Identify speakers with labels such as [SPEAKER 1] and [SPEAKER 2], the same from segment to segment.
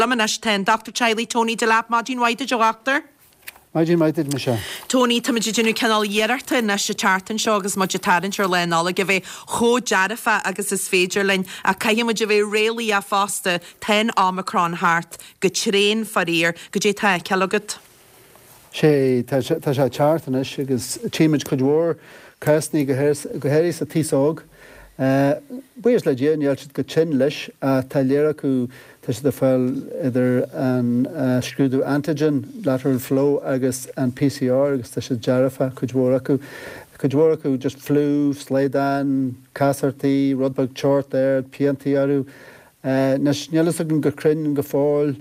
[SPEAKER 1] Liom anois tá an Dochtúir Teaghlaigh Tony Delap. Maidin mhaith duit a dhochtúir.
[SPEAKER 2] Maidin mhaith duit Michelle.
[SPEAKER 1] Tony, táimid ag déanamh cineál iarrachta anois an tseachtain seo agus muid ag tarraingt ar Lá Nollag a bheith chomh dearfach agus is féidir linn ach caithfidh muid a bheith réalaíoch fosta, tá an Omicron thart go tréan faraor. Goidé tá á fheiceáil agat?
[SPEAKER 2] Sé, tá sé ag teacht anois agus tchímid cuid mhór cásanna go háirithe sa taos óg. Buíochas le Dia níl siad go tinn leis ach tá lear acu, tá siad ag fáil idir an scrúdú antigen, lateral flow agus an PCR agus tá siad dearfach, cuid mhór acu. Cuid mhór acu just fliú, slaghdán, casachtaí, rud beag teocht ard, piantaí orthu. Anois níl fhios againn go cruinn go fóill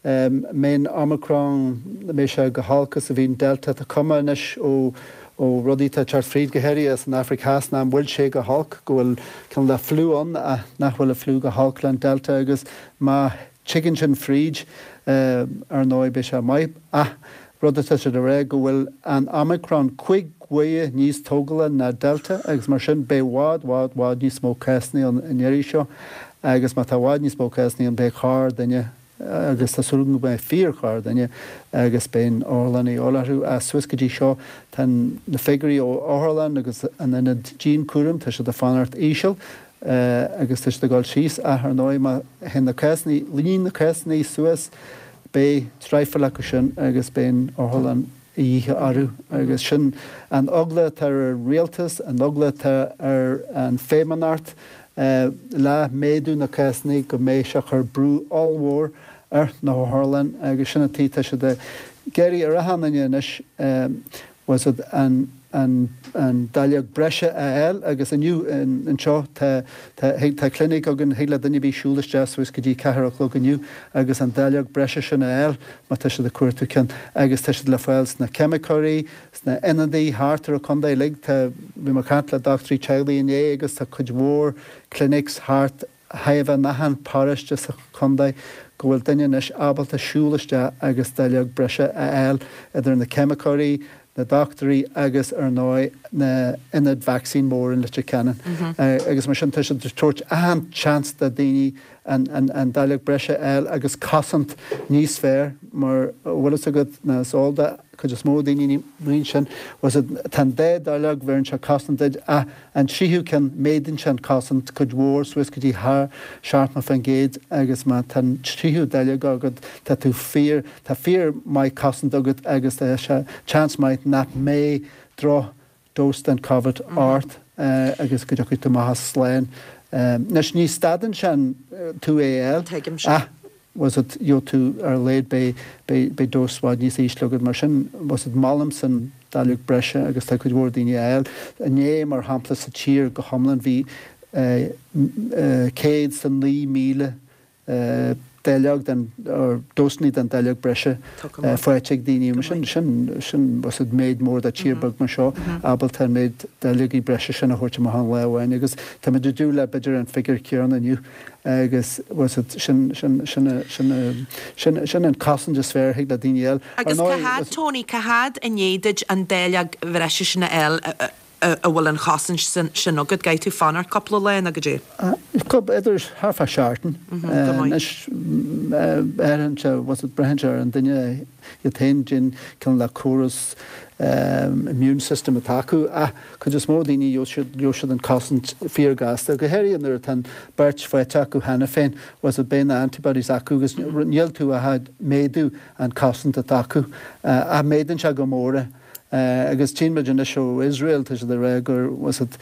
[SPEAKER 2] mbeidh an Omicron, mbeidh sé go holc is a bhí an Delta. Tá cuma anois ó ó rudaí atá ag teacht fríd, go háirithe as an Afraic Theas, nach bhfuil sé go holc, go bhfuil cineál de fliú ann ach nach bhfuil an fliú go holc le an Delta agus má tigeann sin fríd, ar ndóigh beidh sé maith. Ach rud atá siad a rá go bhfuil an Omicron 5 huaire níos tógála ná Delta agus mar sin beidh bhfad, bhfad, bhfad níos mó cásanna ann an iarraidh seo agus má tá bhfad níos mó cásanna ann beidh corr duine agus tá súil agam go mbeidh fíor chorr duine agus beidh an otharlann a dhíobháil orthu. Ach suas go dtí seo tá na figiúirí ó otharlann agus an ionad dianchúraim, tá siad ag fanacht íseal agus tá siad ag dul síos ach ar ndóigh má théann na cásanna, líon na cásanna suas beidh traidhfil acu sin agus beidh an otharlann a dhíth orthu agus sin an eagla atá ar an rialtas, an eagla atá ar an Feidhmeannacht le méadú na cásanna go mbeidh sé ag cur brú ollmhór ar na hotharlann agus sin an tuige tá siad ag iarraidh ar achan duine anois bhfuil siad an an an dáileog breise a fháil agus inniu anseo tá tá tá clinic againn thig le duine ar bith siúl isteach suas go dtí ceathair a chlog inniu agus an dáileog breise sin a fháil má tá siad ag cuartú ceann agus tá siad le fáil sna ceimiceoirí, sna ionadaí thart ar an chontae uilig. Tá, bhí mé ag caint le dochtúirí teaghlaigh inné agus tá cuid mhór clinics thart thaobh in achan paróiste sa chontae go bhfuil duine anois ábalta siúl isteach agus dáileog breise a fháil idir na ceimiceoirí, na dochtúirí agus ar ndóigh na ionaid vacsaín mór in Leitir Ceanainn. Agus mar sin tá siad ag tabhairt achan seans do daoine an dáileog breise a fháil agus cosaint níos fearr mar a bhfuil fhios agat nó is eol do chuid is mó daoine ní sin, bhfuil fhios agat, tá an dá dáileog bheireann sé cosaint duit ach an tríú ceann méadaíonn sé an cosaint cuid mhór suas go dtí thar 70% agus má tá an tríú dáileog agat tá tú fíor, tá fíor maith cosaint agat agus tá sé seans maith nach mbeidh droch dose den Covid ort agus go dtiocfaidh tú amach as slán. Anois ní stadann sé tú é a fháil ach bhfuil fhios agat gheobhaidh tú ar a laghad beidh beidh beidh dose i bhfad níos ísle agat mar sin bhfuil fhios agat molaimse an dáileog breise agus tá cuid mhór daoine á fháil. Inné mar shampla sa tír go hiomlán bhí 109,000 dáileog den or dósanna den dáileog breise faighte ag daoine. Mar sin sin sin bhfuil fhios agat méid mór do tír beag mar seo ábalta an méid dáileogaí breise sin a thabhairt amach aon lá amháin agus táimid ag dúil le b'fhéidir an figiúr céanna inniu. Agus bhfuil fhios agat, sin, sin, sin, sin, sin, sin an cosaint is fearr a thig le daoine a fháil.
[SPEAKER 1] Ar Agus cá ndóigh, fhad, Tony, cá fhad i ndiaidh duit an dáileog bhreise sin a fháil a bhfuil an chosaint sin agat? Caithfidh tú fanacht cúpla lá nó goidé?
[SPEAKER 2] Idir thart fá seachtain. Go maith. Anois, braitheann sé, bhfuil fhios agat, braitheann sé ar an duine iad féin, cén cineál de córas immune system atá acu ach cuid is mó daoine gheobhaidh siad an cosaint fíor gasta, go háirithe nuair atá an beirt faighte acu cheana féin, bhfuil fhios agat, beidh na antibodies acu agus níl tú ach ag méadú an cosaint atá acu ach méadaíonn sé go mór é. Agus tchíonn muid anois ó Iosrael, tá siad ag rá gur, bhfuil fhios agat,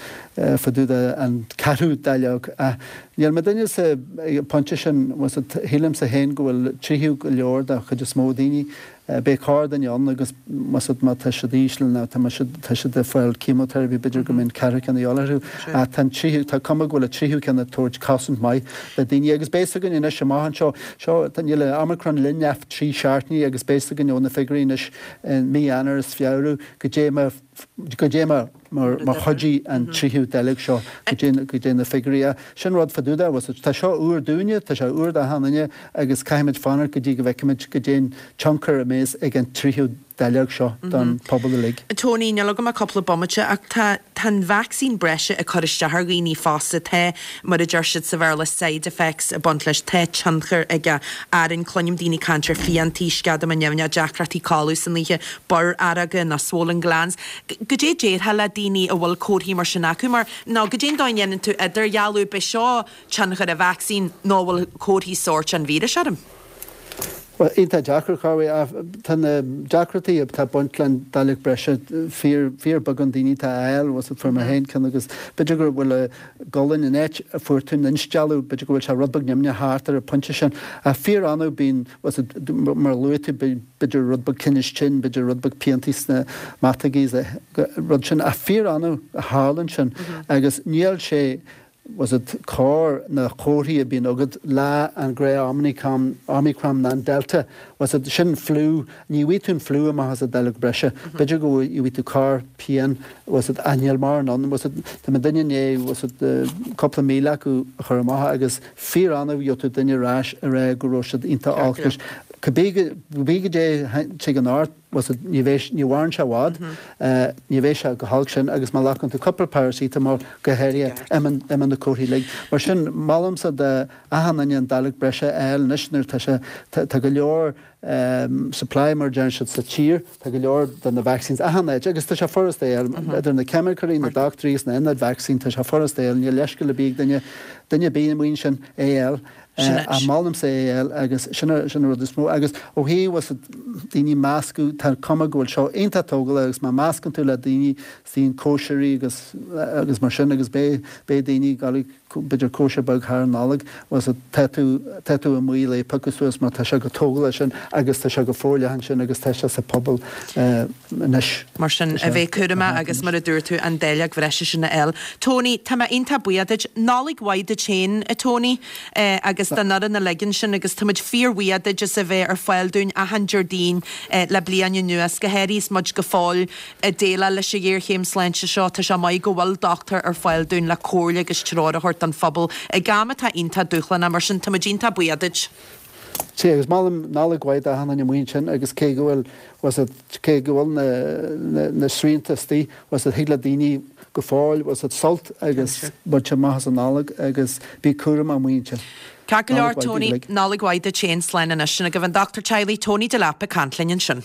[SPEAKER 2] fá dtaobh de an ceathrú dáileog ach níl mé duine sa pointe sin, bhfuil fhios agat, shílimse féin go bhfuil tríú go leor do chuid is mó daoine. Beidh corr duine ann agus bhfuil fhios agat má tá siad íseal nó tá siad tá siad ag fáil chemotherapy b'fhéidir go mbeidh an ceathrú ceann a dhíobháil orthu. Ach tá an tríú tá cuma go bhfuil an tríú ceann ag tabhairt cosaint maith le daoine agus beidh fhios againn anois amach anseo seo tá níl an Omicron linn ach 3 seachtainí agus beidh fhios againn ó na figiúirí anois i mí Eanáir is Feabhra goidé mar goidé mar mar chuidigh an tríú dáileog seo goidé na figiúirí. Sin rud fá dtaobh de, bhfuil fhios agat. Tá seo úr dúinne, tá sé úr d'achan duine agus caithfimid fanacht go dtí go bhfeicfimid goidé an tionchar a mbeas ag an tríú. dáileog seo don pobal uilig.
[SPEAKER 1] Tony, níl agam ach cúpla bomaite ach tá tá an vacsaín breise ag cur isteach ar dhaoine fosta, tá, mar a deir siad sa Bhéarla, side effects ag baint leis, tá tionchar aige orainn, cluinim daoine ag caint ar phiantaí, sceadamán nimhneach, deacrachtaí codladh san oíche, borrfhaireoga nó swollen glands. Goidé déarfá le daoine a bhfuil comharthaí mar sin acu mar, nó goidé an dóigh a ndéanann tú idirdhealú, b'é seo tionchar an vacsaín nó an bhfuil comharthaí sóirt an víris orm?
[SPEAKER 2] Bhuel, iontach deacair, Chorway, ach tá na deacrachtaí atá ag baint leis an dáileog breise fíor, fíor beagán daoine atá á fháil, bhfuil fuair mé féin ceann agus b'fhéidir go bhfuil an gcolainn, an áit a fuair tú an instealladh, b'fhéidir go bhfuil sé rud beag nimhneach thart ar an pointe sin. Ach fíor annamh bíonn, bhfuil mar a luaigh tú, b'fhéidir rud beag tinnis tinn, b'fhéidir rud beag piantaí sna mataigí, rud sin, ach fíor annamh a tharlann sin agus níl sé, bhfuil a fhios agat cóir na comharthaí a bíonn agat le an gnáth Omicron ná an Delta, bhfuil a fhios agat, sin fliú, ní bhfaighidh tú an fliú amach as an dáileog breise, b'fhéidir go bhfaighidh tú corr pian, bhfuil a fhios agat, ach níl mórán ann, bhfuil a fhios agat, tá mé duine i ndiaidh, bhfuil a fhios agat, cúpla míle acu a chur amach agus fíor annamh gheobhaidh tú duine ar ais a rá go raibh siad iontach olc leis. Cibé goidé a thagann ort, bhfuil a fhios agat, ní bheidh, ní mhaireann sé i bhfad, ní bheidh sé chomh holc sin agus má ghlacann tú cúpla paracetamol go háirithe, imíonn, imíonn na comharthaí uilig. Mar sin, molaimse d'achan duine an dáileog breise a fháil anois nuair atá sé, tá, tá go leor supply mar a deireann siad sa tír, tá go leor de na vaccines achan áit agus tá sé furast é a fháil, idir na ceimiceoirí, na dochtúirí agus na hionaid vacsaín, tá sé furast é a fháil, níl leithscéal ar bith ag duine, duine ar bith amuigh ansin é a fháil. Ach molaimse é a fháil agus sin an rud is mó. Agus ó thaobh bhfuil a fhios agat daoine meascadh, tá an cuma go bhfuil seo iontach tógálach agus má meascann tú le daoine, bíonn cóisirí agus agus mar sin agus beidh beidh daoine ag dul b'fhéidir cóisir beag thar an Nollaig, bhfuil a fhios agat tá tú tá tú i mbaol é a phiocadh suas mar tá sé chomh tógálach sin agus tá sé go forleathan sin agus tá sé sa pobal anois.
[SPEAKER 1] Mar sin, a bheith cúramach agus mar a dúirt tú, an dáileog bhreise sin a fháil. Tony, tá mé iontach buíoch duit. Nollaig mhaith duit féin, a Tony, agus don fhoireann uilig ansin agus tá muid fíorbhuíoch duit as a bheith ar fáil dúinn achan Déardaoin le bliain anuas, go háirithe is muid go fóill ag déileáil leis an ghéarchéim sláinte seo. Tá sé maith go bhfuil dochtúir ar fáil dúinn le comhairle agus treoir a thabhairt don phobal ag am atá iontach dúshlánach. Mar sin, tá muid iontach buíoch duit.
[SPEAKER 2] Sea, agus molaim Nollaig mhaith d'achan duine amuigh ansin agus cé go bhfuil, bhfuil a fhios agat, cé go bhfuil na, na, na srianta istigh, bhfuil a fhios agat, thig le daoine go fóill, bhfuil a fhios agat, sult agus baint amach as an Nollaig agus bí cúramach amuigh ansin.
[SPEAKER 1] Ceart go leor, Nollaig mhaith daoibh uilig. Tony, Nollaig mhaith duit féin, slán anois. Sin agaibh an Dochtúir Teaghlaigh, Tony Delap ag caint linn ansin.